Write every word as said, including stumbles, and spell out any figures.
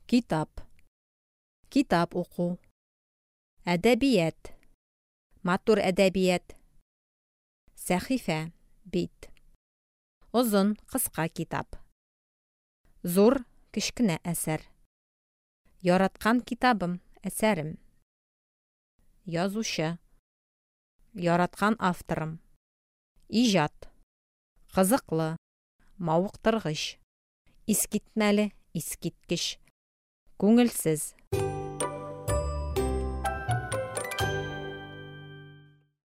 Китап. Китап уку. Әдәбият. Матур әдәбият. Сәхифә, бит. Озын, кыска китап. Зур, кечкенә әсәр. Яраткан китабым, әсәрем. Язучы. Яраткан авторым. Иҗат. Кызыклы, мавыктыргыч. Искитмәле, искиткеч. Күңелсез.